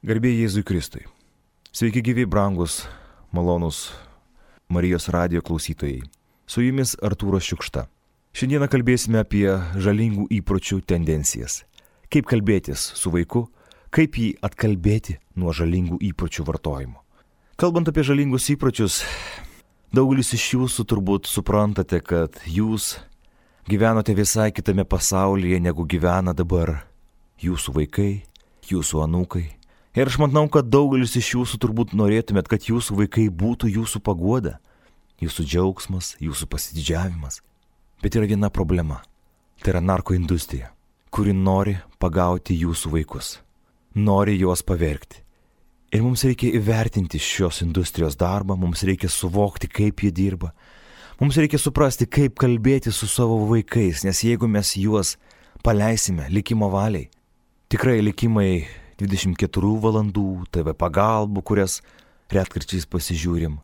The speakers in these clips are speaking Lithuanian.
Garbė Jėzui Kristui. Sveiki gyvi, brangus, malonus Marijos radijo klausytojai. Su jumis Artūras Šiukšta. Šiandieną kalbėsime apie žalingų įpročių tendencijas. Kaip kalbėtis su vaiku, kaip jį atkalbėti nuo žalingų įpročių vartojimo. Kalbant apie žalingus įpročius, daugelis iš jūsų turbūt suprantate, kad jūs gyvenote visai kitame pasaulyje, negu gyvena dabar jūsų vaikai, jūsų anūkai. Ir aš manau, kad daugelis iš jūsų turbūt norėtumėt, kad jūsų vaikai būtų jūsų paguoda, jūsų džiaugsmas, jūsų pasididžiavimas. Bet yra viena problema. Tai yra narkoindustrija, kuri nori pagauti jūsų vaikus, nori juos pavergti. Ir mums reikia įvertinti šios industrijos darbą, mums reikia suvokti, kaip jie dirba. Mums reikia suprasti, kaip kalbėti su savo vaikais, nes jeigu mes juos paleisime likimo valiai, tikrai likimai 24 valandų, TV pagalbų, kurias retkarčiais pasižiūrim,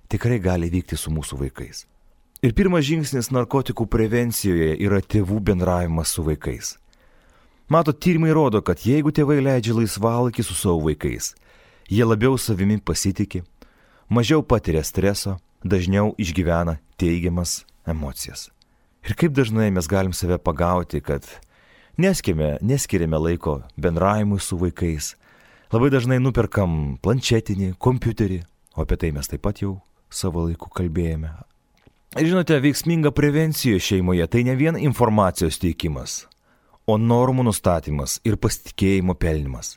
tikrai gali vykti su mūsų vaikais. Ir pirmas žingsnis narkotikų prevencijoje yra tėvų bendravimas su vaikais. Matot, tyrimai rodo, kad jeigu tėvai leidžia laisvalaikį su savo vaikais, jie labiau savimi pasitikė, mažiau patiria streso, dažniau išgyvena teigiamas emocijas. Ir kaip dažnai mes galim save pagauti, kad neskiriame laiko bendravimui su vaikais. Labai dažnai nuperkam planšetinį, kompiuterį, o apie tai mes taip pat jau savo laiku kalbėjome. Ir žinote, veiksminga prevencija šeimoje tai ne vien informacijos teikimas, o normų nustatymas ir pasitikėjimo pelnimas.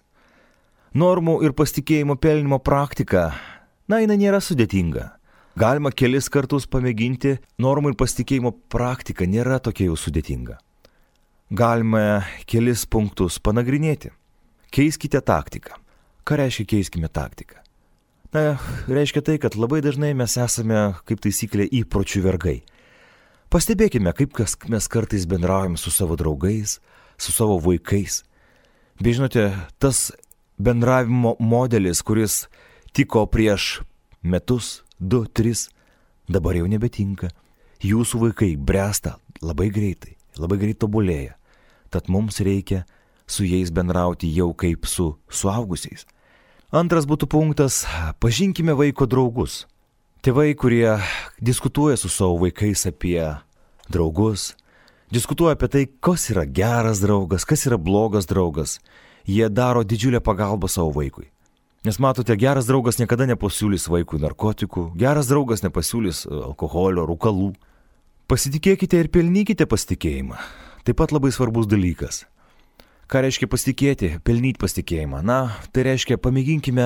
Normų ir pasitikėjimo pelnimo praktika, jinai nėra sudėtinga. Galima kelis kartus pamėginti, normų ir pasitikėjimo praktika nėra tokia jau sudėtinga. Galime kelis punktus panagrinėti. Keiskite taktiką. Ką reiškia keiskime taktiką? Reiškia tai, kad labai dažnai mes esame, kaip taisyklė, įpročių vergai. Pastebėkime, kaip mes kartais bendraujame su savo draugais, su savo vaikais. Bei žinote, tas bendravimo modelis, kuris tiko prieš metus, 2, 3, dabar jau nebetinka. Jūsų vaikai bręsta labai greitai tobulėja. Tad mums reikia su jais bendrauti jau kaip su suaugusiais. Antras būtų punktas – pažinkime vaiko draugus. Tėvai, kurie diskutuoja su savo vaikais apie draugus, diskutuoja apie tai, kas yra geras draugas, kas yra blogas draugas, jie daro didžiulę pagalbą savo vaikui. Nes matote, geras draugas niekada nepasiūlys vaikui narkotikų, geras draugas nepasiūlys alkoholio, rūkalų. Pasitikėkite ir pelnykite pasitikėjimą. Taip pat labai svarbus dalykas. Ką reiškia pasitikėti, pelnyti pasitikėjimą? Tai reiškia pamėginkime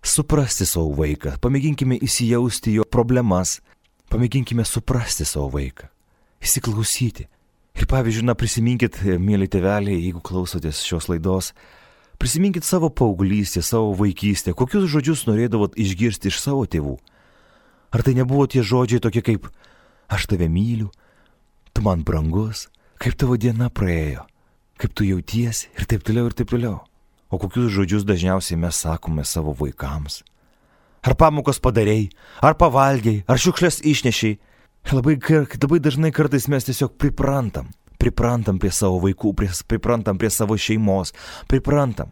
suprasti savo vaiką, pamėginkime įsijausti jo problemas, pamėginkime suprasti savo vaiką, įsiklausyti. Ir pavyzdžiui, prisiminkit, mėly tėveliai, jeigu klausotės šios laidos, prisiminkit savo paauglystę, savo vaikystę, kokius žodžius norėdavot išgirsti iš savo tėvų. Ar tai nebuvo tie žodžiai tokie kaip aš tave myliu, tu man brangus, kaip tavo diena praėjo, kaip tu jautiesi ir taip toliau ir taip toliau. O kokius žodžius dažniausiai mes sakome savo vaikams? Ar pamokas padarei, ar pavalgiai, ar šiukšlės išnešiai? Labai dažnai kartais mes tiesiog priprantam prie savo vaikų, priprantam prie savo šeimos, priprantam.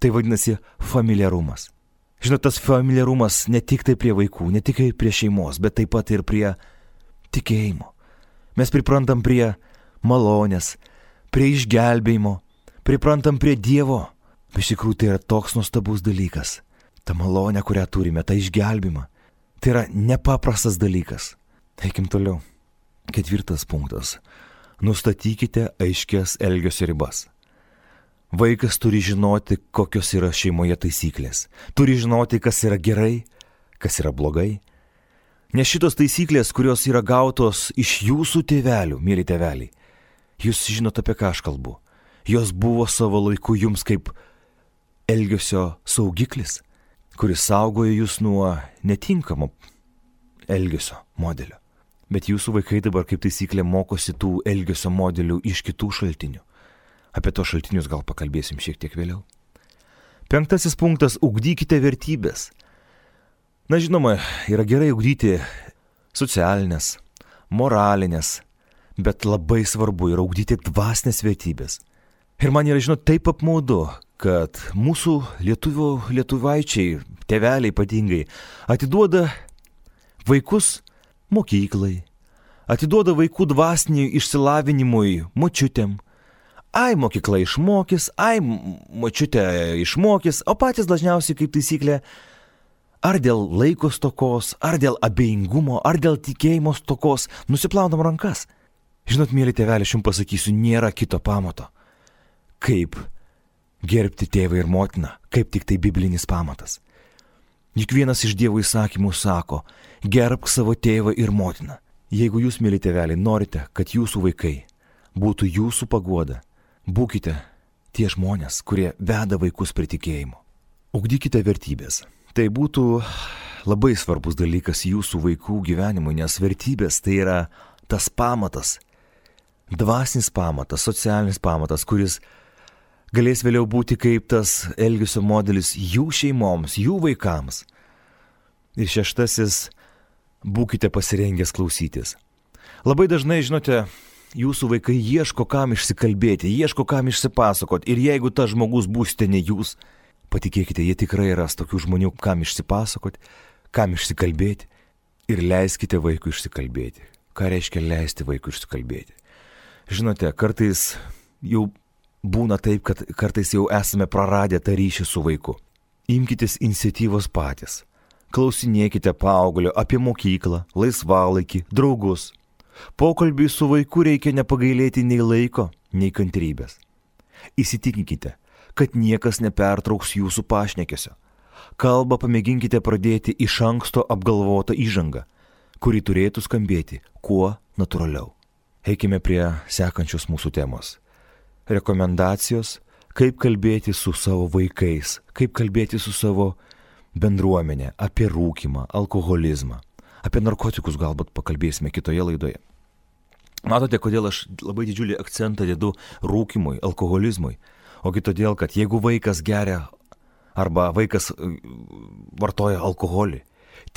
Tai vadinasi familiarumas. Žinot, tas familiarumas ne tik tai prie vaikų, ne tik prie šeimos, bet taip pat ir prie tikėjimo. Mes priprantam prie malonės, prie išgelbėjimo, priprantam prie Dievo. Iš tikrųjų, tai yra toks nuostabus dalykas. Ta malonė, kurią turime, ta išgelbėjimą. Tai yra nepaprastas dalykas. Eikim toliau. 4 punktas. Nustatykite aiškias elgesio ribas. Vaikas turi žinoti, kokios yra šeimoje taisyklės. Turi žinoti, kas yra gerai, kas yra blogai. Nes šitos taisyklės, kurios yra gautos iš jūsų tėvelių, mėly tėveliai, jūs žinote, apie ką aš kalbu. Jos buvo savo laiku jums kaip elgesio saugiklis, kuris saugojo jūs nuo netinkamo elgesio modelio. Bet jūsų vaikai dabar kaip taisyklė mokosi tų elgesio modelių iš kitų šaltinių. Apie tos šaltinius gal pakalbėsim šiek tiek vėliau. 5 punktas – ugdykite vertybės. Žinoma, yra gerai ugdyti socialinės, moralinės, bet labai svarbu yra ugdyti dvasinės vertybės. Ir man yra, taip apmaudu, kad mūsų lietuvaičiai, tėveliai ypatingai, atiduoda vaikus mokyklai, atiduoda vaikų dvasiniui išsilavinimui močiutėm. Ai, mokykla išmokys, ai, močiutė išmokys, o patys dažniausiai, kaip taisyklė, ar dėl laiko stokos, ar dėl abejingumo, ar dėl tikėjimo stokos, nusiplaunam rankas. Žinot, mėly tėveliai, aš jums pasakysiu, nėra kito pamato. Kaip gerbti tėvą ir motiną, kaip tik tai biblinis pamatas. Juk vienas iš Dievo įsakymų sako, gerbk savo tėvą ir motiną. Jeigu jūs, mėly tėveliai, norite, kad jūsų vaikai būtų jūsų paguoda, būkite tie žmonės, kurie veda vaikus prie tikėjimo. Ugdykite vertybės. Tai būtų labai svarbus dalykas jūsų vaikų gyvenimui, nes vertybės tai yra tas pamatas, dvasinis pamatas, socialinis pamatas, kuris galės vėliau būti kaip tas elgesio modelis jų šeimoms, jų vaikams. Ir 6. Būkite pasirengęs klausytis. Labai dažnai, žinote, jūsų vaikai ieško kam išsikalbėti, ieško kam išsipasakoti. Ir jeigu tas žmogus būsite ne jūs, patikėkite, jie tikrai ras tokių žmonių, kam išsipasakoti, kam išsikalbėti. Ir leiskite vaikui išsikalbėti. Ką reiškia leisti vaikui išsikalbėti? Žinote, kartais jau būna taip, kad kartais jau esame praradę tą ryšį su vaiku. Imkitės iniciatyvos patys. Klausinėkite paauglio apie mokyklą, laisvalaikį, draugus. Pokalbiui su vaiku reikia nepagailėti nei laiko, nei kantrybės. Įsitikinkite, kad niekas nepertrauks jūsų pašnekesio. Kalbą pamėginkite pradėti iš anksto apgalvotą įžangą, kuri turėtų skambėti kuo natūraliau. Eikime prie sekančios mūsų temos. Rekomendacijos, kaip kalbėti su savo vaikais, kaip kalbėti su savo bendruomenė, apie rūkymą, alkoholizmą. Apie narkotikus galbūt pakalbėsime kitoje laidoje. Matote, kodėl aš labai didžiulį akcentą dedu rūkymui, alkoholizmui. Ogi todėl, kad jeigu vaikas geria arba vaikas vartoja alkoholį,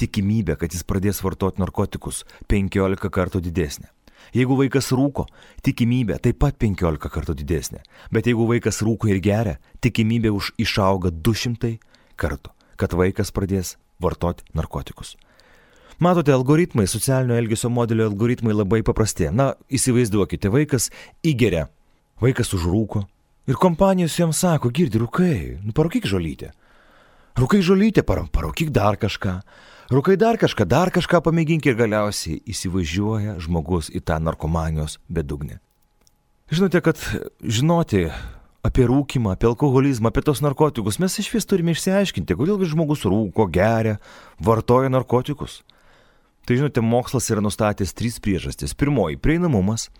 tikimybė, kad jis pradės vartoti narkotikus 15 kartų didesnė. Jeigu vaikas rūko, tikimybė taip pat 15 kartų didesnė. Bet jeigu vaikas rūko ir geria, tikimybė išauga 200 kartų, kad vaikas pradės vartoti narkotikus. Matote, algoritmai, socialinio elgesio modelio algoritmai labai paprasti. Na, įsivaizduokite, vaikas įgeria, vaikas užrūko ir kompanijos jam sako, girdi, rūkai, parūkyk žolytę. Rūkai žolytę, parūkyk dar kažką. Rūkai dar kažką pamėgink ir galiausiai įsivažiuoja žmogus į tą narkomanijos bedugnę. Žinote, kad žinoti apie rūkymą, apie alkoholizmą, apie tos narkotikus mes iš vis turime išsiaiškinti, kodėl žmogus rūko, geria, vartoja narkotikus. Tai žinote, mokslas yra nustatęs 3 priežastis. Pirmoji - prieinamumas.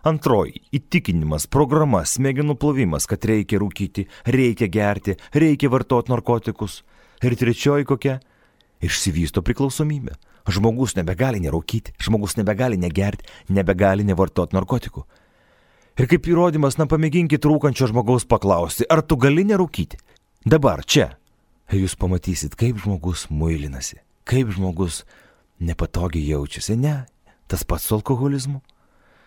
Antroji - įtikinimas, programa, smegenų plovimas, kad reikia rūkyti, reikia gerti, reikia vartoti narkotikus. Ir trečioji kokia? Išsivysto priklausomybė. Žmogus nebegali nerūkyti, žmogus nebegali negerti, nebegali nevartoti narkotikų. Ir kaip įrodymas, pamėginkit rūkančio žmogaus paklausti, ar tu gali nerūkyti? Dabar, čia. Ir jūs pamatysit, kaip žmogus muilinasi, kaip žmogus nepatogiai jaučiasi. Ne, tas pats su alkoholizmu.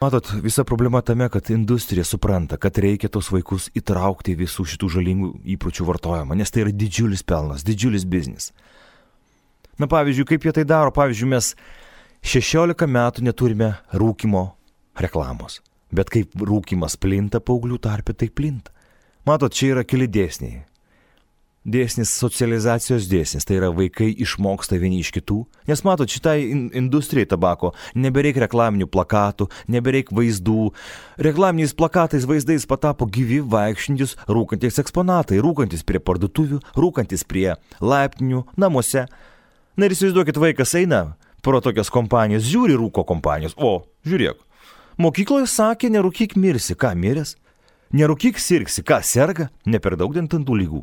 Matot, visa problema tame, kad industrija supranta, kad reikia tos vaikus įtraukti visų šitų žalingų įpročių vartojimą, nes tai yra didžiulis pelnas, didžiulis biznis. Na pavyzdžiui, kaip jie tai daro? Pavyzdžiui, mes 16 metų neturime rūkymo reklamos, bet kaip rūkymas plinta paauglių tarpe, tai plinta. Matot, čia yra keli dėsniai. Dėsnis socializacijos dėsnis, tai yra vaikai išmoksta vieni iš kitų, nes matot, šitai industrijai tabako nebereik reklaminių plakatų, nebereik vaizdų. Reklaminiais plakatais, vaizdais patapo gyvi vaikščiantis rūkantis eksponatai, rūkantis prie parduotuvių, rūkantis prie laiptinių, namuose. Na ir įsivaizduokit, vaikas eina pro tokias kompanijas, žiūri rūko kompanijos, o, žiūrėk, mokykloje sakė, nerūkyk mirsi, ką miręs, nerūkyk sirgsi, ką serga, ne per daug dantų lygų.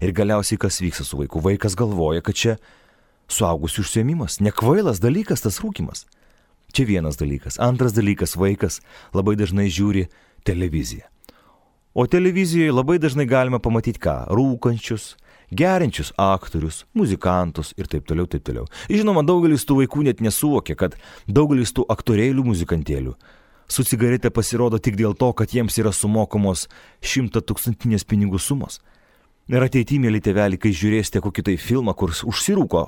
Ir galiausiai kas vyksta su vaiku? Vaikas galvoja, kad čia suaugusių užsiėmimas, nekvailas dalykas tas rūkymas. Čia vienas dalykas. Antras dalykas, vaikas labai dažnai žiūri televiziją. O televizijoje labai dažnai galima pamatyti ką? Rūkančius, geriančius aktorius, muzikantus ir taip toliau, taip toliau. Žinoma, daugelis tų vaikų net nesuvokia, kad daugelis tų aktorėlių, muzikantėlių su cigarete pasirodo tik dėl to, kad jiems yra sumokamos 100-tūkstantinės pinigų sumos. Ir ateityje, mėly tėveliai, kai žiūrėsite kokį tai filmą, kur užsirūko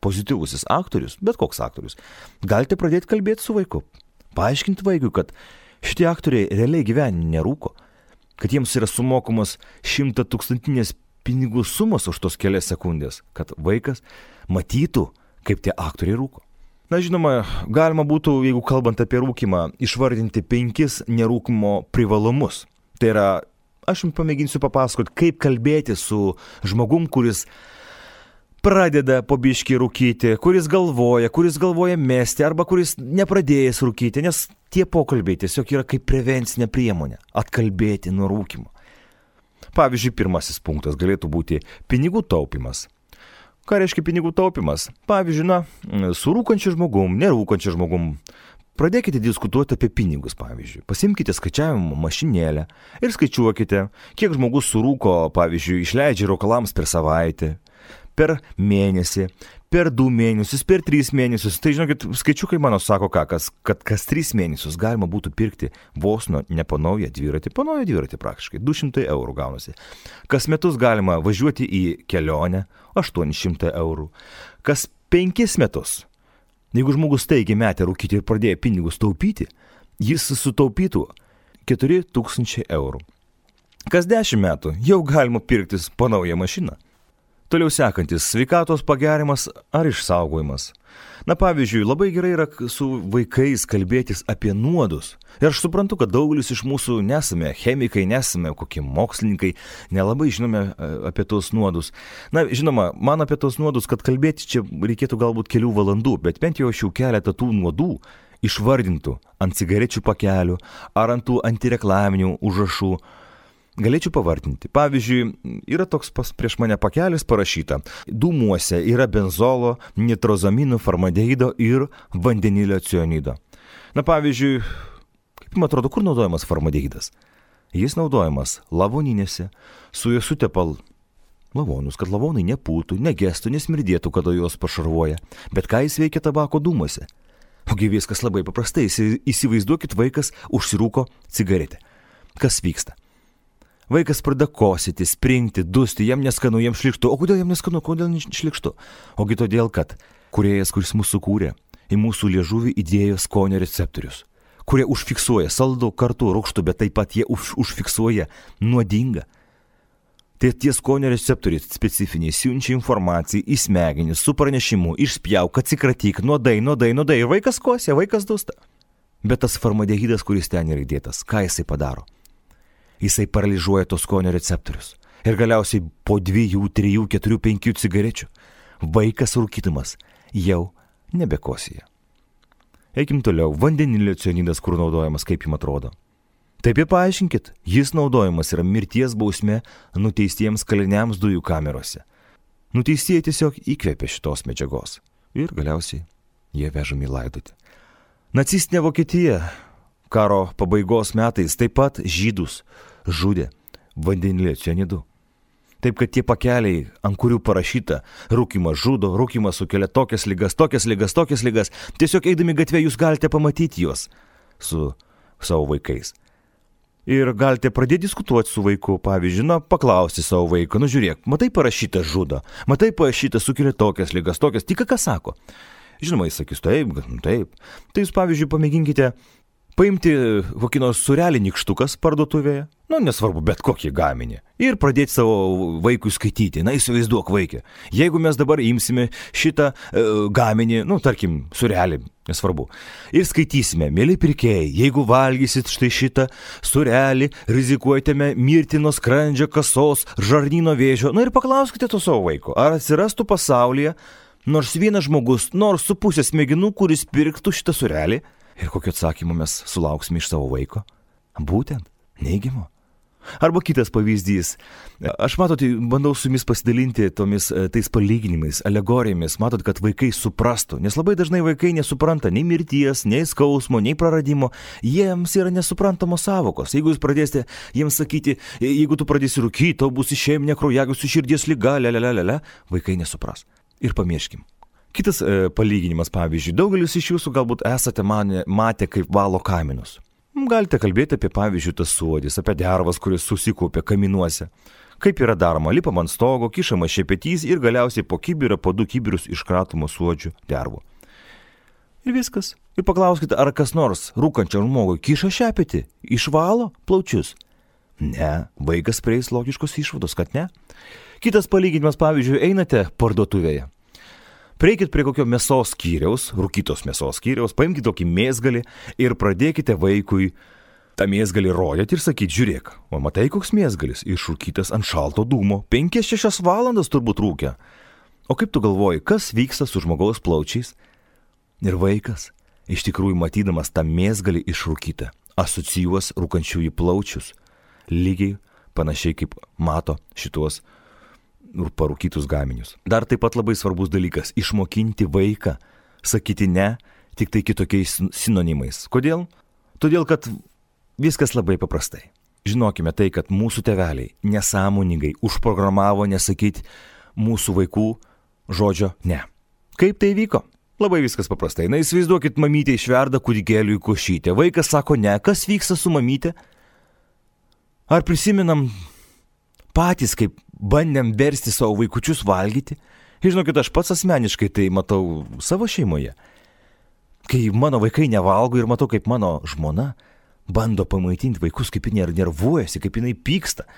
pozityvusis aktorius, bet koks aktorius, galite pradėti kalbėti su vaiku. Paaiškinti vaikui, kad šitie aktoriai realiai gyvenime nerūko, kad jiems yra sumokamos 100-tūkstantinės pinigų sumos už tos kelias sekundės, kad vaikas matytų, kaip tie aktoriai rūko. Na, žinoma, galima būtų, jeigu kalbant apie rūkimą, išvardinti 5 nerūkimo privalumus. Tai yra, aš jums pamėginsiu papasakoti, kaip kalbėti su žmogum, kuris pradeda po biškį rūkyti, kuris galvoja mesti, arba kuris nepradėjęs rūkyti, nes tie pokalbiai tiesiog yra kaip prevencinė priemonė - atkalbėti nuo rūkimo. Pavyzdžiui, pirmasis punktas galėtų būti pinigų taupimas. Ką reiškia pinigų taupimas? Pavyzdžiui, su rūkančiu žmogum, nerūkančiu žmogum. Pradėkite diskutuoti apie pinigus, pavyzdžiui. Pasimkite skaičiavimo mašinėlę ir skaičiuokite, kiek žmogus surūko, pavyzdžiui, išleidžia rūkalams per savaitę, per mėnesį, per 2 mėnesius, per 3 mėnesius. Tai žinokit, skaičiukai mano sako kad kas 3 mėnesius galima būtų pirkti vos ne po naują dviratį praktiškai, 200 eurų gaunasi. Kas metus galima važiuoti į kelionę, 800 eurų. Kas 5 metus, jeigu žmogus staigiai metė rūkyti ir pradėjo pinigus taupyti, jis sutaupytų 4000 eurų. Kas 10 metų jau galima pirktis po naują mašiną. Toliau sekantis - sveikatos pagerimas ar išsaugojimas. Na, pavyzdžiui, labai gerai yra su vaikais kalbėtis apie nuodus. Ir aš suprantu, kad daugelis iš mūsų nesame chemikai, nesame kokie mokslininkai, nelabai žinome apie tos nuodus. Na, žinoma, man apie tos nuodus, kad kalbėti čia reikėtų galbūt kelių valandų, bet bent jau aš jau keletą tų nuodų išvardintų ant cigarečių pakelių ar ant tų antireklaminių užrašų. Galėčiau pavardinti. Pavyzdžiui, yra toks prieš mane pakelis parašyta. Dūmuose yra benzolo, nitrozaminų, formaldehito ir vandenilio cianido. Na, pavyzdžiui, kaip man atrodo, kur naudojamas formaldehidas? Jis naudojamas lavoninėse, su juo sutepal lavonus, kad lavonai nepūtų, negestų, nesmirdėtų, kada juos pašarvoja. Bet ką jis veikia tabako dūmuose? Ogi viskas labai paprastai. Įsivaizduokit, vaikas užsirūko cigaretę. Kas vyksta? Vaikas pradeda kosėti, springti, dusti, jam neskanu, jam šlikštu. O kodėl jam neskanu, kodėl šlikštu? Ogi todėl, kad kūrėjas, kuris mūsų kūrė, į mūsų liežuvį įdėjo skonio receptorius, kurie užfiksuoja saldų, kartu rūgštų, bet taip pat jie užfiksuoja nuodingą. Tai tie skonio receptoriai specifiniai siunčia informaciją į smegenis su pranešimu, išspjauk, atsikratyk, nuodai, ir vaikas kosė, vaikas dusta. Bet tas formaldehidas, kuris ten yra įdėtas, ką jisai padaro? Jisai paralyžuoja tos skonio receptorius. Ir galiausiai po 2, 3, 4, 5 cigarečių vaikas rūkydamas jau nebekosėja. Eikim toliau. Vandenilio cianidas, kur naudojamas, kaip jums atrodo? Taip ir paaiškinkit, jis naudojamas yra mirties bausmė nuteistiems kaliniams dujų kamerose. Nuteistieji tiesiog įkvėpė šitos medžiagos. Ir galiausiai jie vežami laidoti. Nacistinė Vokietija karo pabaigos metais taip pat žydus žudė vandenilio cianidu. Taip, kad tie pakeliai, ant kurių parašyta rūkymas žudo, rūkymas sukelia tokias ligas, tiesiog eidami gatvė jūs galite pamatyti juos su savo vaikais. Ir galite pradėti diskutuoti su vaiku, pavyzdžiui, paklausti savo vaiką, žiūrėk, matai parašyta žudo, matai parašyta sukelia tokias ligas, tik ką sako. Žinoma, jis sakys, taip. Tai jūs, pavyzdžiui, pamėginkite paimti kokį nors surelį nykštukas parduotuvėje, nesvarbu, bet kokį gaminį, ir pradėti savo vaikui skaityti. Įsivaizduok vaikę. Jeigu mes dabar imsime šitą gaminį, tarkim, surelį, nesvarbu, ir skaitysime, mėly pirkėjai, jeigu valgysit štai šitą surelį, rizikuojate mirti nuo skrandžio, kasos, žarnyno vėžio, ir paklauskite to savo vaiko, ar atsirastų pasaulyje nors vienas žmogus, nors su pusė smegenų, kuris pirktų šitą surelį. Ir kokio atsakymo mes sulauksime iš savo vaiko? Būtent neigiamo. Arba kitas pavyzdys. Aš bandau su jumis pasidalinti tais palyginimais, alegorijomis. Matot, kad vaikai suprastų. Nes labai dažnai vaikai nesupranta nei mirties, nei skausmo, nei praradimo. Jiems yra nesuprantamos sąvokos. Jeigu jūs pradėsite jiems sakyti, jeigu tu pradėsi rūkyti, tau bus išėminė kraujagyslių širdies liga, vaikai nesupras. Ir pamirškim. Kitas palyginimas, pavyzdžiui, daugelis iš jūsų galbūt esate matę, kaip valo kaminus. Galite kalbėti apie, pavyzdžiui, tas suodis, apie dervas, kuris susikaupia kaminuose. Kaip yra daroma, lipama ant stogo, kišama šepetys ir galiausiai po kibirą, po 2 kibirius iškratoma suodžių dervų. Ir viskas. Ir paklauskite, ar kas nors rūkančiam žmogui kiša šepetį, išvalo plaučius. Ne, vaikas prieis logiškos išvados, kad ne. Kitas palyginimas, pavyzdžiui, einate parduotuvėje. Prieikit prie kokio mėsos skyriaus, rūkytos mėsos skyriaus, paimkite tokį mėsgalį ir pradėkite vaikui tą mėsgalį rodyti ir sakyti, žiūrėk, o matai koks mėsgalis, išrūkytas ant šalto dūmo, 5-6 valandas turbūt rūkia. O kaip tu galvoji, kas vyksta su žmogaus plaučiais? Ir vaikas, iš tikrųjų matydamas tą mėsgalį išrūkytą, asocijuos rūkančiųjų plaučius, lygiai panašiai kaip mato šitos parūkytus gaminius. Dar taip pat labai svarbus dalykas – išmokinti vaiką sakyti ne, tik tai kitokiais sinonimais. Kodėl? Todėl, kad viskas labai paprastai. Žinokime tai, kad mūsų tėveliai nesąmoningai užprogramavo nesakyti mūsų vaikų žodžio ne. Kaip tai vyko? Labai viskas paprastai. Na, įsivaizduokit, mamytė išverda kūdikėliui košytę. Vaikas sako ne. Kas vyksta su mamytė? Ar prisimenam patys, kaip bandėm versti savo vaikučius valgyti? Žinokit, aš pats asmeniškai tai matau savo šeimoje. Kai mano vaikai nevalgo ir matau, kaip mano žmona bando pamaitinti vaikus, kaip jinai nervuojasi, kaip jinai pyksta.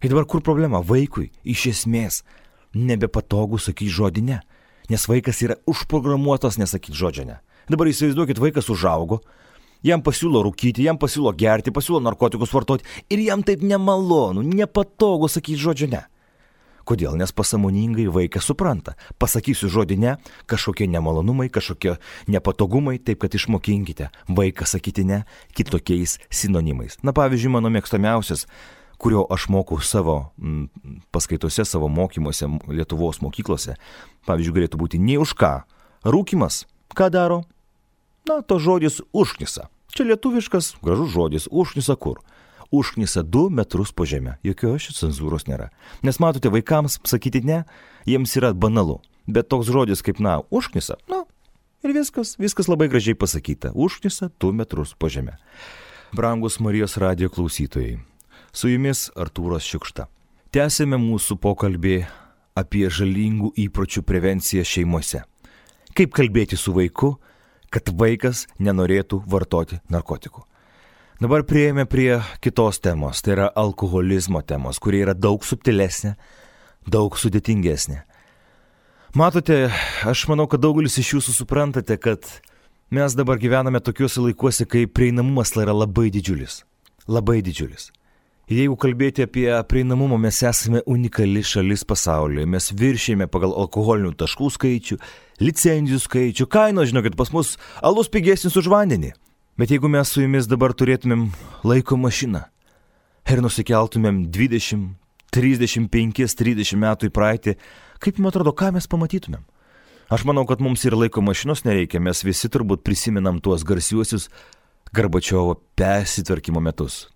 Ir dabar kur problema? Vaikui iš esmės nebepatogu sakyti žodį ne. Nes vaikas yra užprogramuotas nesakyti žodžio ne. Dabar įsivaizduokit, vaikas užaugo, jam pasiūlo rūkyti, jam pasiūlo gerti, pasiūlo narkotikus vartoti ir jam taip nemalonu, nepatogu sakyti žodžio ne. Kodėl? Nes pasąmoningai vaikas supranta. Pasakysiu žodį ne, kažkokie nemalonumai, kažkokie nepatogumai, taip kad išmokinkite vaiką sakyti ne kitokiais sinonimais. Na, pavyzdžiui, mano mėgstamiausias, kurio aš mokau savo paskaitose, savo mokymuose Lietuvos mokyklose, pavyzdžiui, galėtų būti nei už ką. Rūkimas, ką daro? Na, to žodis užknisa. Čia lietuviškas, gražus žodis, užknisa kur? Užknisa 2 metrus po žemę. Jokios šios cenzūros nėra. Nes matote, vaikams sakyti ne, jiems yra banalu. Bet toks žodis kaip, na, užknisa, na, ir viskas labai gražiai pasakyta. Užknisa 2 metrus po žemę. Brangus Marijos radijo klausytojai, su jumis Artūras Šiukšta. Tęsėme mūsų pokalbį apie žalingų įpročių prevenciją šeimose. Kaip kalbėti su vaiku, kad vaikas nenorėtų vartoti narkotikų. Dabar prieėjome prie kitos temos, tai yra alkoholizmo temos, kuri yra daug subtilesnė, daug sudėtingesnė. Matote, aš manau, kad daugelis iš jūsų suprantate, kad mes dabar gyvename tokiuose laikuose, kai prieinamumas yra labai didžiulis. Labai didžiulis. Ir jeigu kalbėti apie prieinamumą, mes esame unikali šalis pasaulyje. Mes viršėjame pagal alkoholinių taškų skaičių, licenzijų skaičių, kainos, žinokit, pas mus alus pigesnis už vandenį. Bet jeigu mes su jumis dabar turėtumėm laiko mašiną ir nusikeltumėm 20, 35, 30 metų į praeitį, kaip jums atrodo, ką mes pamatytumėm? Aš manau, kad mums ir laiko mašinos nereikia, mes visi turbūt prisimenam tuos garsiuosius Gorbačiovo persitvarkymo metus.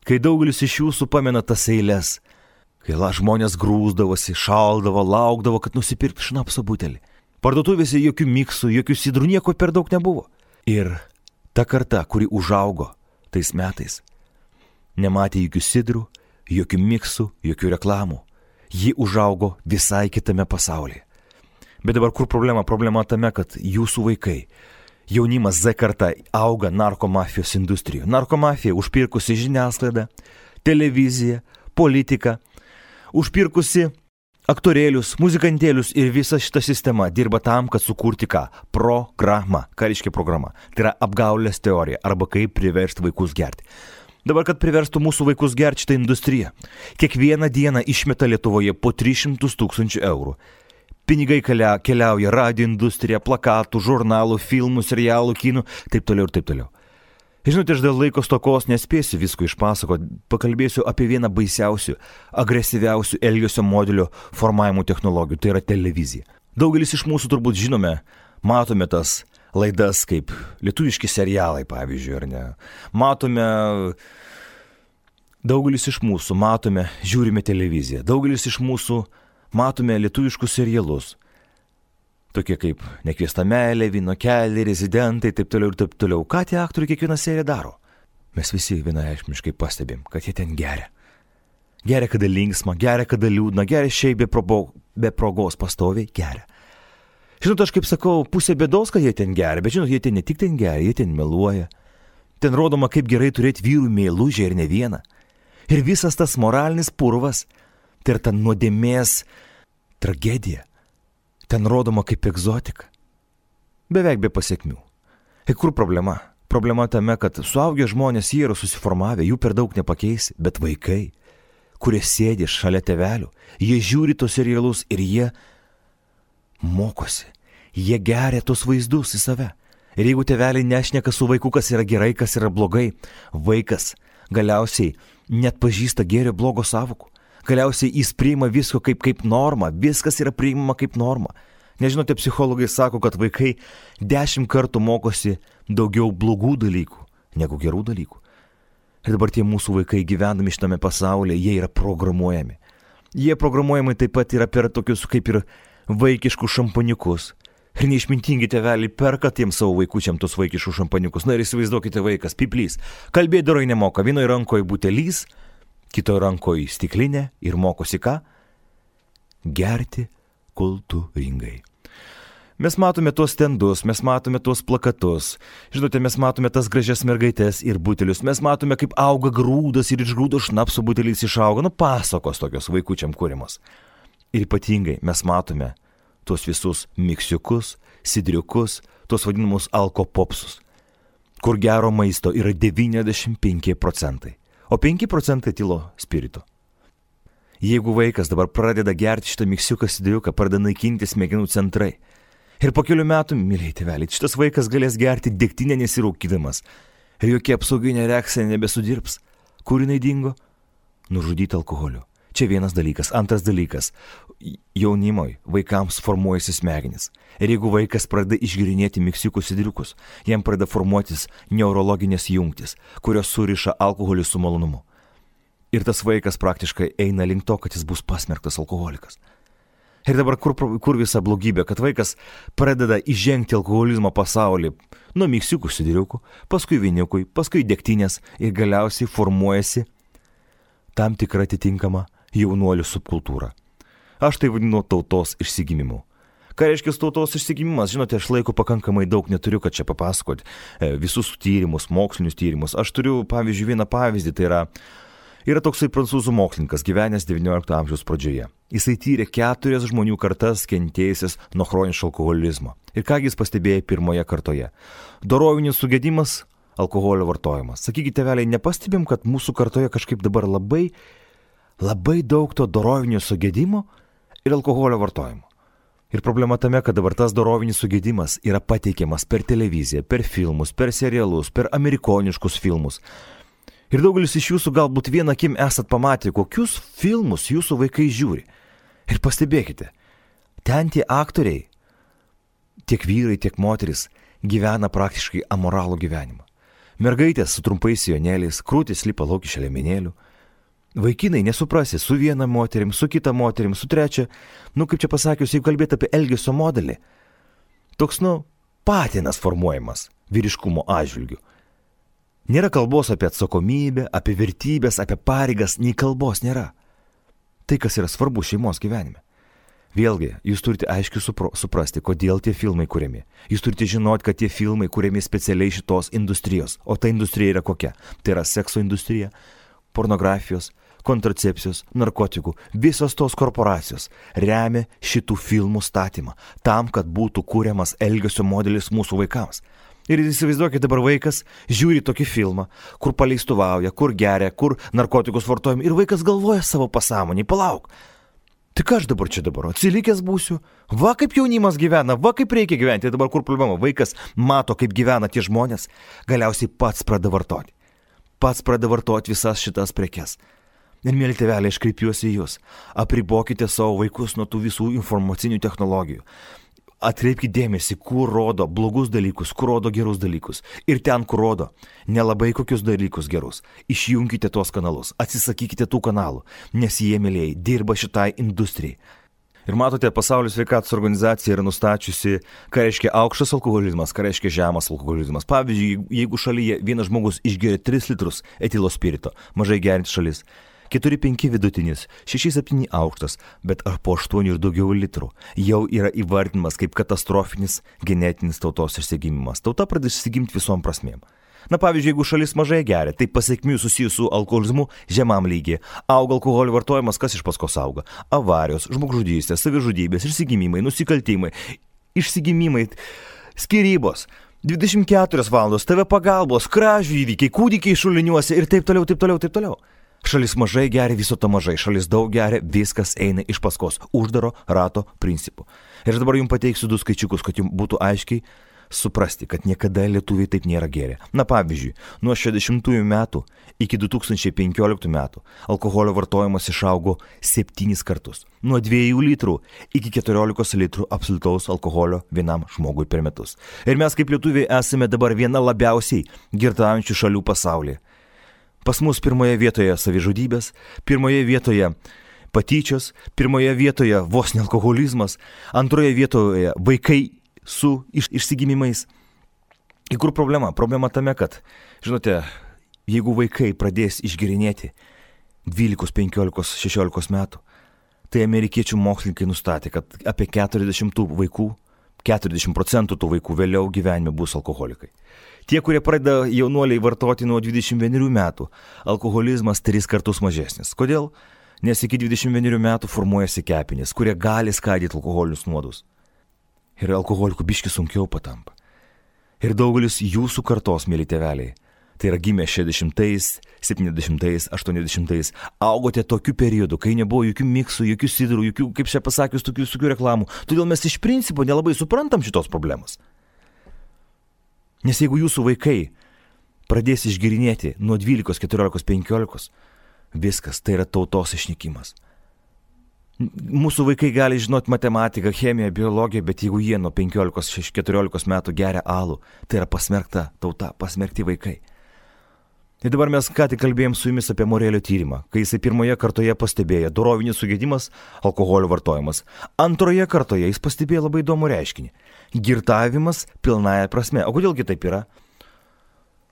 Kai daugelis iš jūsų pamena tas eiles, kai žmonės grūsdavosi, šaldavo, laukdavo, kad nusipirktų šnapso butelį. Parduotuvėse jokių miksų, jokių sidrų, nieko per daug nebuvo. Ir ta karta, kuri užaugo tais metais, nematė jokių sidrų, jokių miksų, jokių reklamų. Ji užaugo visai kitame pasaulyje. Bet dabar kur problema? Problema tame, kad jūsų vaikai, jaunimas Z karta auga narkomafijos industrijoje. Narkomafija užpirkusi žiniasklaidą, televiziją, politiką, užpirkusi aktorėlius, muzikantėlius ir visa šita sistema dirba tam, kad sukurti ką? Programą. Ką reiškia programa? Tai yra apgaulės teorija arba kaip priversti vaikus gerti. Dabar, kad priverstų mūsų vaikus gerti šitą industriją, kiekvieną dieną išmeta Lietuvoje po 300 000 eurų. Pinigai keliauja radijo industrija, plakatų, žurnalų, filmų, serialų, kinų, taip toliau ir taip toliau. Žinote, aš dėl laiko stokos nespėsiu visko išpasakoti, pakalbėsiu apie vieną baisiausių, agresyviausių elgesio modelio formavimo technologijų, tai yra televizija. Daugelis iš mūsų turbūt žinome, matome tas laidas kaip lietuviški serialai, pavyzdžiui, ar ne. Daugelis iš mūsų matome, žiūrime televiziją, daugelis iš mūsų matome lietuviškus serialus. Tokie kaip Nekviesta meilė, Vyno keliai, Rezidentai, taip toliau ir taip toliau. Ką tie aktoriai kiekvieną seriją daro? mes visi vienareikšmiškai pastebim, kad jie ten geria. Geria, kada linksma, geria, kada liūdna, geria šiaip be progos pastoviai geria. Žinot, aš kaip sakau, pusė bėdos, kad jie ten geria, bet žinot, jie ten ne tik ten geria, jie ten meluoja. Ten rodoma, kaip gerai turėti vyrų meilužę ir ne vieną. Ir visas tas moralinis purvas, tai yra ta nuodėmės tragedija. Ten rodoma kaip egzotika. Beveik be pasiekmių. Ir kur problema? Problema tame, kad suaugę žmonės jie yra susiformavę, jų per daug nepakeisi, bet vaikai, kurie sėdi šalia tėvelių, jie žiūri tos serialus ir jie mokosi. Jie geria tos vaizdus į save. Ir jeigu tėveliai nešneka su vaiku, kas yra gerai, kas yra blogai, vaikas galiausiai net pažįsta gėrio blogo sąvokų. Galiausiai jis priima visko kaip norma, viskas yra priimama kaip norma. Nežinote, psichologai sako, kad vaikai 10 kartų mokosi daugiau blogų dalykų negu gerų dalykų. Ir dabar tie mūsų vaikai gyvendami šitame pasaulyje, jie yra programuojami. Jie programuojami taip pat yra per tokius kaip ir vaikiškus šampaniukus. Ir neišmintingi tėveliai perka tiems savo vaikučiam tos vaikiškus šampaniukus. Na ir įsivaizduokite vaikas, piplys, kalbėti dorai nemoka, vienoje rankoje butelys, kitoje rankoje stiklinė ir mokosi ką? Gerti kultūringai. Mes matome tuos stendus, mes matome tuos plakatus, žinote, mes matome tas gražias mergaitės ir butelius, mes matome, kaip auga grūdas ir iš grūdo šnapso butelis išauga, pasakos tokios vaikučiam kūrimos. Ir ypatingai mes matome tuos visus miksiukus, sidriukus, tuos vadinamus alkopopsus, kur gero maisto yra 95%, o 5% tylo spirito. Jeigu vaikas dabar pradeda gerti šitą miksiuką, sidriuką, pradeda naikinti smegenų centrai, ir po kelių metų, myliai tėveliai, šitas vaikas galės gerti degtinę nesirūkydamas, ir jokia apsauginė reakcija nebesudirbs. Kur jinai dingo? Nužudyti alkoholiu. Čia vienas dalykas. Antras dalykas. Jaunimui, vaikams formuojasi smegenys. Ir jeigu vaikas pradeda išgirinėti miksiukus sidriukus, jam pradeda formuotis neurologinės jungtis, kurios suriša alkoholį su malonumu. Ir tas vaikas praktiškai eina link to, kad jis bus pasmerktas alkoholikas. Ir dabar kur visa blogybė, kad vaikas pradeda įžengti alkoholizmo pasaulį nuo miksiukų sidriukų, paskui viniukui, paskui degtinės ir galiausiai formuojasi tam tikra atitinkama jaunuolių subkultūra. Aš tai vadinu tautos išsigimimu. Ką reiškia tautos išsigimimas? Žinote, aš laiko pakankamai daug neturiu, kad čia papasakoti visus tyrimus, mokslinius tyrimus. Aš turiu, pavyzdžiui, vieną pavyzdį, tai yra toksai prancūzų mokslininkas, gyvenęs XIX amžiaus pradžioje. Jisai tyrė 4 žmonių kartas kentėjusias nuo chroniško alkoholizmo. Ir ką jis pastebėjo pirmoje kartoje? Dorovinis sugedimas, alkoholio vartojimas. Sakykite, tėveliai, nepastebim, kad mūsų kartoje kažkaip dabar labai daug to dorovinio sugedimo ir alkoholio vartojimo. Ir problema tame, kad dabar tas dorovinis sugedimas yra pateikiamas per televiziją, per filmus, per serialus, per amerikoniškus filmus. Ir daugelis iš jūsų galbūt vieną akim esat pamatę, kokius filmus jūsų vaikai žiūri. Ir pastebėkite, ten tie aktoriai, tiek vyrai, tiek moteris, gyvena praktiškai amoralų gyvenimą. Mergaitės su trumpais sijonėliais, krūtis lipa lauk iš liemenėlių. Vaikinai nesuprasi su viena moterim, su kita moterim, su trečia. Kaip čia pasakius, jeigu kalbėti apie elgesio modelį, toks, patinas formuojamas vyriškumo atžvilgiu. Nėra kalbos apie atsakomybę, apie vertybės, apie pareigas, nei kalbos nėra. Tai, kas yra svarbu šeimos gyvenime. Vėlgi, jūs turite aiškiai suprasti, kodėl tie filmai kuriami. Jūs turite žinoti, kad tie filmai kuriami specialiai šitos industrijos. O ta industrija yra kokia? Tai yra sekso industrija, pornografijos, kontracepcijos, narkotikų. Visos tos korporacijos remia šitų filmų statymą, tam, kad būtų kuriamas elgesio modelis mūsų vaikams. Ir įsivaizduokite, dabar vaikas žiūri tokį filmą, kur paleistuvauja, kur geria, kur narkotikus vartojam, ir vaikas galvoja savo pasąmonį, palauk. Tai ką aš dabar čia atsilikęs būsiu? Va kaip jaunimas gyvena, va kaip reikia gyventi. Dabar kur problema? Vaikas mato, kaip gyvena tie žmonės, galiausiai pats pradeda vartoti. Pats pradeda vartoti visas šitas prekes. Ir mėly tėveliai, aš kreipiuosi į jūs. Apribokite savo vaikus nuo tų visų informacinių technologijų. Atkreipkite dėmesį, kur rodo blogus dalykus, kur rodo gerus dalykus. Ir ten, kur rodo nelabai kokius dalykus gerus. Išjunkite tuos kanalus, atsisakykite tų kanalų, nes jie, mėlyjei, dirba šitai industrijai. Ir matote, Pasaulio sveikatos organizacija yra nustačiusi, ką reiškia aukštas alkoholizmas, ką reiškia žemas alkoholizmas. Pavyzdžiui, jeigu šalyje vienas žmogus išgeria 3 litrus etilo spirito, mažai gerinti šalis, 4-5 vidutinis, 6-7 aukštas, bet ar po 8 ir daugiau litrų jau yra įvardinimas kaip katastrofinis genetinis tautos išsigimimas. Tauta pradeda išsigimti visom prasmėm. Na pavyzdžiui, jeigu šalis mažai geria, tai pasekmių susijusių su alkoholizmu žemam lygiai. Auga alkoholio vartojimas, kas iš paskos auga? Avarijos, žmogžudystės, savižudybės, išsigimimai, nusikaltimai, išsigimimai, skyrybos. 24 valandos, TV pagalbos, kražių įvykiai, kūdikiai šuliniuose ir taip toliau, taip toliau, taip toliau. Šalis mažai geria, viso to mažai. Šalis daug geria, viskas eina iš paskos. Uždaro rato principu. Ir dabar jums pateiksiu 2 skaičiukus, kad jums būtų aiškiai suprasti, kad niekada lietuviai taip nėra gėrę. Na pavyzdžiui, nuo 60 metų iki 2015 metų alkoholio vartojimas išaugo 7 kartus. Nuo 2 litrų iki 14 litrų absoliutaus alkoholio vienam žmogui per metus. Ir mes kaip lietuviai esame dabar viena labiausiai girtaujančių šalių pasaulyje. Pas mus pirmoje vietoje savižudybės, pirmoje vietoje patyčios, pirmoje vietoje vos ne alkoholizmas, antroje vietoje vaikai su išsigimimais. Ir kur problema? Problema tame, kad, žinote, jeigu vaikai pradės išgerinėti 12, 15, 16 metų, tai amerikiečių mokslininkai nustatė, kad apie 40% tų vaikų vėliau gyvenime bus alkoholikai. Tie, kurie pradeda jaunuoliai vartoti nuo 21 metų, alkoholizmas 3 kartus mažesnis. Kodėl? Nes iki 21 metų formuojasi kepenys, kurie gali skaidyti alkoholinius nuodus. Ir alkoholikų biški sunkiau patampa. Ir daugelis jūsų kartos, mėly tėveliai, tai yra gimę 60-ais, 70-ais, 80-ais, augote tokiu periodu, kai nebuvo jokių miksų, jokių sidrų, jokių, kaip čia pasakius, tokių reklamų. Todėl mes iš principo nelabai suprantam šitos problemos. Nes jeigu jūsų vaikai pradės išgerinėti nuo 12, 14, 15, viskas, tai yra tautos išnykimas. Mūsų vaikai gali žinoti matematiką, chemiją, biologiją, bet jeigu jie nuo 15-14 metų geria alų, tai yra pasmerkta tauta, pasmerkti vaikai. Ir dabar mes ką tik kalbėjom su jumis apie Morelio tyrimą, kai jisai pirmoje kartoje pastebėjo dorovinis sugedimas, alkoholio vartojimas. Antroje kartoje jis pastebėjo labai įdomų reiškinį – girtavimas pilnąja prasme. O kodėl taip yra?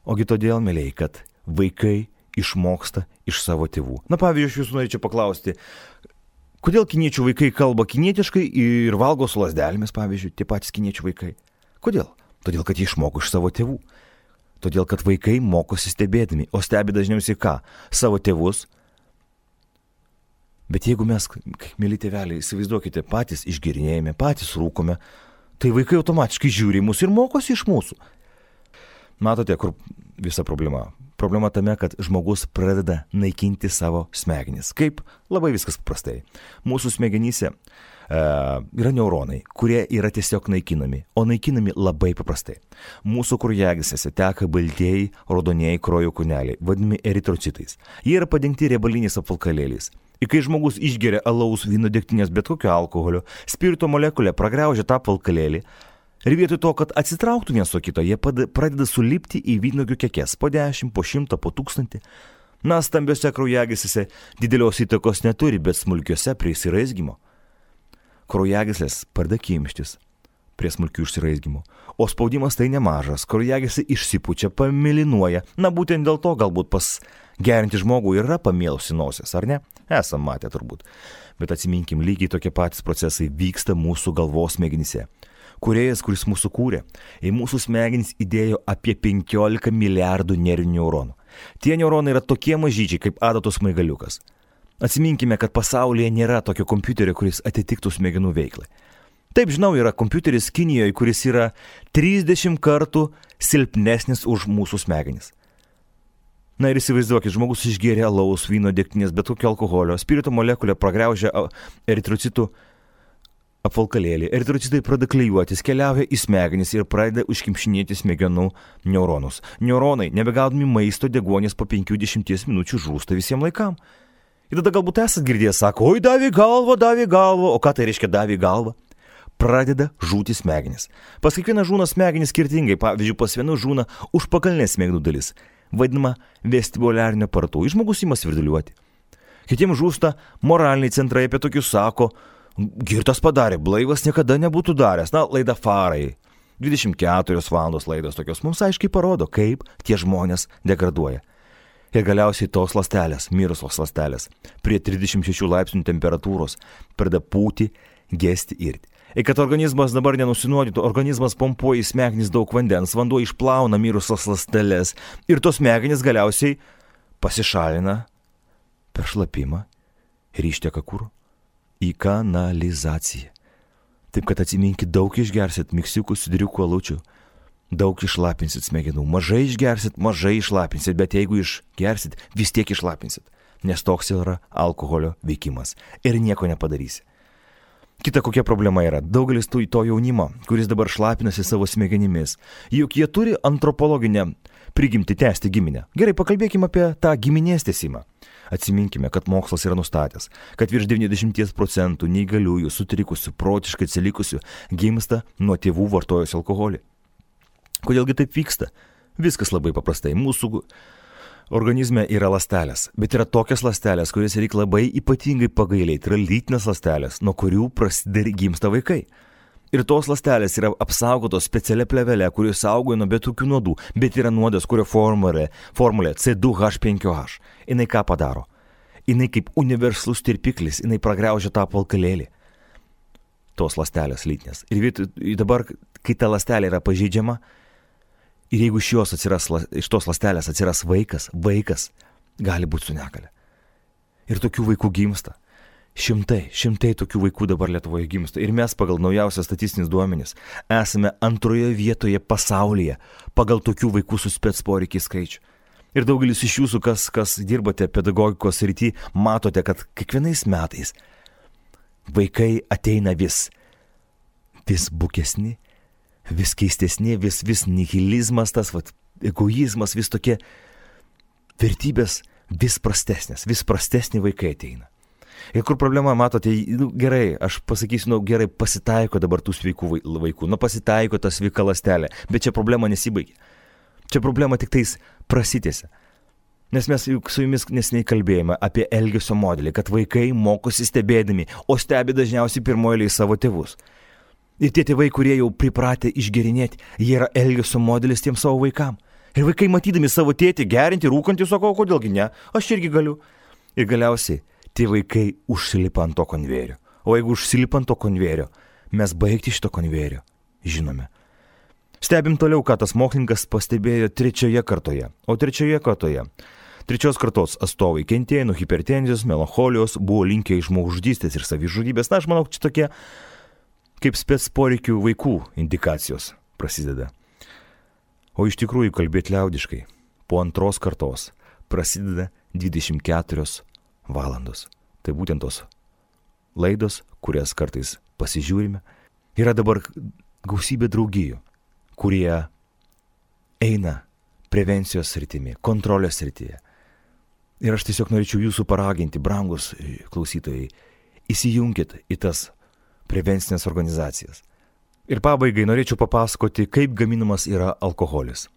Ogi todėl, mėlyi, kad vaikai išmoksta iš savo tėvų. Na pavyzdžiui, aš jūsų norėčiau paklausti, kodėl kiniečių vaikai kalba kinietiškai ir valgo su lazdelėmis, pavyzdžiui, tie patys kiniečių vaikai? Kodėl? Todėl, kad jie išmoko iš savo tėvų. Todėl, kad vaikai mokosi stebėdami, o stebi dažniausiai ką? Savo tėvus. Bet jeigu mes, mėly tėveliai, įsivaizduokite, patys išgerinėjame, patys rūkome, tai vaikai automatiškai žiūri į mus ir mokosi iš mūsų. Matote, kur visa problema? Problema tame, kad žmogus pradeda naikinti savo smegenis. Kaip? Labai viskas paprastai. Mūsų smegenyse yra neuronai, kurie yra tiesiog naikinami, o naikinami labai paprastai. Mūsų kraujagyslėse teka baltieji, raudonieji kraujo kūneliai, vadinami eritrocitais. Jie yra padengti riebaliniais apvalkalėliais. Ir kai žmogus išgeria alaus, vyno, degtinės, bet kokio alkoholio, spirito molekulė pragraužia tą apvalkalėlį. Ir vietoj to, kad atsitrauktų vienas nuo kito, jie pradeda sulipti į vynuogių kekes po 10, po 100, po 1000. Na, stambiose kraujagyslėse didelios įtakos neturi, bet smulkiose prie įsiraizgymo. Kraujagyslės pradeda kimštis prie smulkių išsiraizgymų. O spaudimas tai nemažas, kraujagyslė išsipučia, pamilinuoja. Na, būtent dėl to galbūt pas gerinti žmogų yra pamėlusi nosies, ar ne? Esam matę turbūt. Bet atsiminkim, lygiai tokie patys procesai vyksta mūsų galvos smegenyse. Kūrėjas, kuris mūsų kūrė, į mūsų smegenys įdėjo apie 15 milijardų nervinių neuronų. Tie neuronai yra tokie mažyčiai kaip adatos smaigaliukas. Atsiminkime, kad pasaulyje nėra tokio kompiuterio, kuris atitiktų smegenų veiklai. Taip, žinau, yra kompiuteris Kinijoje, kuris yra 30 kartų silpnesnis už mūsų smegenis. Na ir įsivaizduokit, žmogus išgėrė alaus, vyno, degtinės, bet kokio alkoholio, spirito molekulė pragraužia eritrocitų apvalkalėlį. Eritrocitai pradeda klijuotis, keliauja į smegenis ir pradeda užkimšinėti smegenų neuronus. Neuronai, nebegaudami maisto, deguonies po 5-10 minučių žūsta visiems laikam. Ir tada galbūt esat girdėjęs, sako, oi, davė galvą, o ką tai reiškia davė galvą? Pradeda žūti smegenis. Pas kiekvieną žūna smegenis skirtingai, pavyzdžiui, pas vienų žūna užpakalinė smegenų dalis, vadinama vestibuliarinio aparatu, žmogus ima svirduliuoti. Kitiems žūsta moraliniai centrai, apie tokius sako, Girtas padarė, blaivas niekada nebūtų daręs. Na, laida Farai. 24 valandos laidos tokios mums aiškiai parodo, kaip tie žmonės degraduoja. Ir galiausiai tos ląstelės, mirusios ląstelės, prie 36 laipsnių temperatūros pradeda pūti, gesti, irti. Ir kad organizmas dabar nenusinuodytų, organizmas pompuoja į smegenis daug vandens, vanduo išplauna mirusios ląsteles ir tos smegenys galiausiai pasišalina per šlapimą ir išteka kur? Į kanalizaciją. Taip, kad atsiminkit, daug išgersit miksiukų, sidriukų, alučių, daug išlapinsit smegenų, mažai išgersit, mažai išlapinsit, bet jeigu išgersit, vis tiek išlapinsit, nes toks yra alkoholio veikimas ir nieko nepadarysi. Kita kokia problema yra, daugelis to jaunimo, kuris dabar šlapinasi savo smegenimis, juk jie turi antropologinę prigimtį tęsti giminę. Gerai, pakalbėkime apie tą giminės tęsimą. Atsiminkime, kad mokslas yra nustatęs, kad virš 90% neįgaliųjų, sutrikusių, protiškai atsilikusių gimsta nuo tėvų vartojus alkoholį. Kodėlgi taip vyksta? Viskas labai paprastai. Mūsų organizme yra ląstelės, bet yra tokias ląstelės, kurias reikia labai ypatingai pagailėti. Tai yra lytinės ląstelės, nuo kurių prasideda gimsta vaikai. Ir tos ląstelės yra apsaugotos specialia plėvele, kuri saugoja nuo bet kokių nuodų, bet yra nuodas, kurio formulė C2H5OH. Jinai ką padaro? Jinai kaip universalus tirpiklis, jinai pragraužia tą apvalkalėlį. Tos ląstelės lytinės. Ir dabar, kai ta ląstelė yra pažeidžiama, ir jeigu iš tos ląstelės atsiras vaikas gali būti su negalia. Ir tokių vaikų gimsta. Šimtai tokių vaikų dabar Lietuvoje gimsta. Ir mes pagal naujausias statistinis duomenis esame antroje vietoje pasaulyje pagal tokių vaikų su spec poreikiai skaičių. Ir daugelis iš jūsų, kas dirbate pedagogikos srity, matote, kad kiekvienais metais vaikai ateina vis bukesni, vis keistesni, vis nihilizmas, tas egoizmas, vis tokie vertybės vis prastesni vaikai ateina. Ir kur problema, matote, gerai, aš pasakysiu, gerai, pasitaiko dabar tų sveikų vaikų, pasitaiko ta sveika ląstelė, bet čia problema nesibaigia. Čia problema tik tais prasitėse. Nes mes su jumis neseniai kalbėjome apie elgesio modelį, kad vaikai mokosi stebėdami, o stebi dažniausiai pirmoje eilėje savo tėvus. Ir tie tėvai, kurie jau pripratę išgerinėti, jie yra elgesio modelis tiem savo vaikam. Ir vaikai matydami savo tėtį gerinti, rūkantį, sako, kodėlgi ne, aš irgi galiu. Ir galiausiai tie vaikai užsilipa ant to konvejerio. O jeigu užsilipa ant to konvejerio, mes baigti šito konvejerio žinome. Stebim toliau, ką tas mokslininkas pastebėjo trečioje kartoje. O trečioje kartoje, trečios kartos atstovai kentėjo nuo hipertenzijos, melancholijos, buvo linkę į žmogžudystės ir savižudybės. Na, aš manau, čia tokie kaip spec poreikių vaikų indikacijos prasideda. O iš tikrųjų kalbėti liaudiškai, po antros kartos prasideda 24 valandos. Tai būtent tos laidos, kurias kartais pasižiūrime. Yra dabar gausybė draugijų, kurie eina prevencijos sritimi, kontrolės srityje. Ir aš tiesiog norėčiau jūsų paraginti, brangus klausytojai, įsijunkit į tas prevencinės organizacijas. Ir pabaigai norėčiau papasakoti, kaip gaminamas yra alkoholis.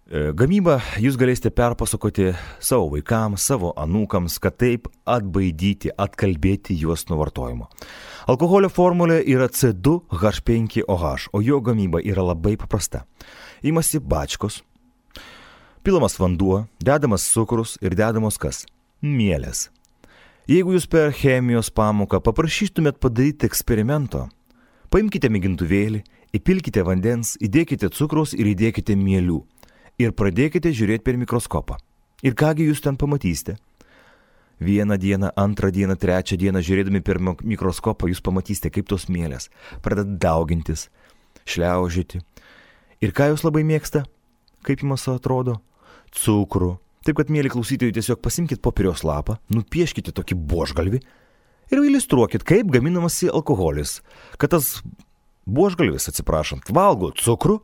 Gamybą jūs galėsite perpasakoti savo vaikams, savo anūkams, kad taip atbaidyti, atkalbėti juos nuo vartojimo. Alkoholio formulė yra C2H5OH, o jo gamyba yra labai paprasta. Imasi bačkos, pilamas vanduo, dedamas cukrus ir dedamos kas? Mielės. Jeigu jūs per chemijos pamoką paprašytumėt padaryti eksperimento, paimkite mėgintuvėlį, įpilkite vandens, įdėkite cukrus ir įdėkite mielių. Ir pradėkite žiūrėti per mikroskopą. Ir kągi jūs ten pamatysite? Vieną dieną, antrą dieną, trečią dieną žiūrėdami per mikroskopą jūs pamatysite, kaip tos mielės pradeda daugintis, šliaužyti. Ir ką jūs labai mėgsta? Kaip jums atrodo? Cukrų. Taip, kad, mėly klausytojai, tiesiog pasimkite popieriaus lapą, nupieškite tokį buožgalvį ir iliustruokit, kaip gaminamasi alkoholis. Kad tas buožgalvis, atsiprašant, valgo cukrų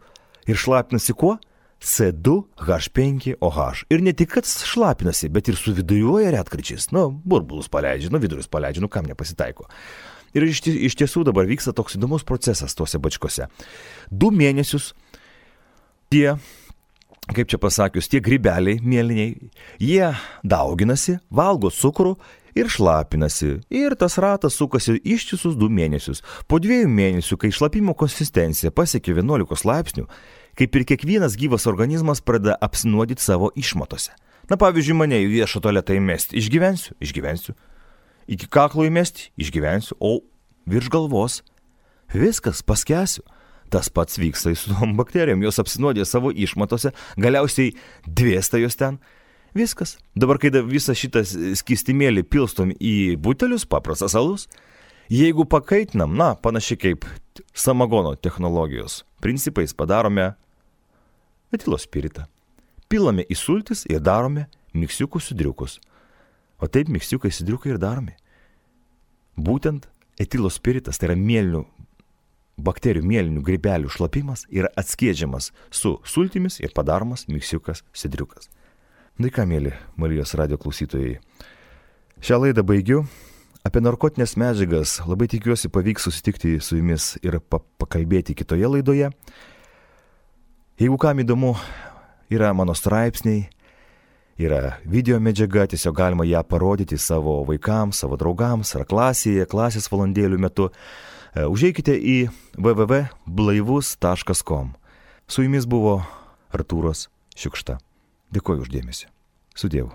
ir šlapinasi kuo? C2H5OH. Ir ne tik, kad šlapinasi, bet ir suvidujuoja retkarčiais. Burbulus paleidžia, vidurius paleidžia, kam nepasitaiko. Ir iš tiesų dabar vyksta toks įdomus procesas tose bačkose. 2 mėnesius tie, kaip čia pasakius, tie grybeliai mėlyniai, jie dauginasi, valgo cukrų ir šlapinasi, ir tas ratas sukasi ištisus 2 mėnesius. Po 2 mėnesių, kai šlapimo konsistencija pasiekia 11 laipsnių, kaip ir kiekvienas gyvas organizmas pradeda apsinuodyti savo išmatose. Na pavyzdžiui, mane į viešą tualetą įmesti, išgyvensiu. Iki kaklo įmesti, išgyvensiu, o virš galvos viskas, paskęsiu. Tas pats vyksta su tom bakterijom, jos apsinuodė savo išmatose, galiausiai dvėsta jos ten. Viskas. Dabar, kai visą šitą skystimėlį pilstom į butelius, paprastas alus, jeigu pakaitinam, panašiai kaip samagono technologijos principais, padarome etilo spiritą. Pilame į sultis ir darome miksiukus sidriukus. O taip miksiukai sidriukai ir daromi. Būtent etilo spiritas, tai yra mėlynių, bakterijų mėlynių grybelių šlapimas, yra atskiedžiamas su sultimis ir padaromas miksiukas sidriukas. Na ką, mėly Marijos radijo klausytojai, šią laidą baigiu. Apie narkotinės medžiagas labai tikiuosi pavyks susitikti su jumis ir pakalbėti kitoje laidoje. Jeigu kam įdomu, yra mano straipsniai, yra video medžiaga, tiesiog galima ją parodyti savo vaikams, savo draugams ar klasėje, klasės valandėlių metu. Užeikite į www.blaivus.com. Su jumis buvo Artūras Šiukšta. Dėkoju už dėmesį. Sudievu.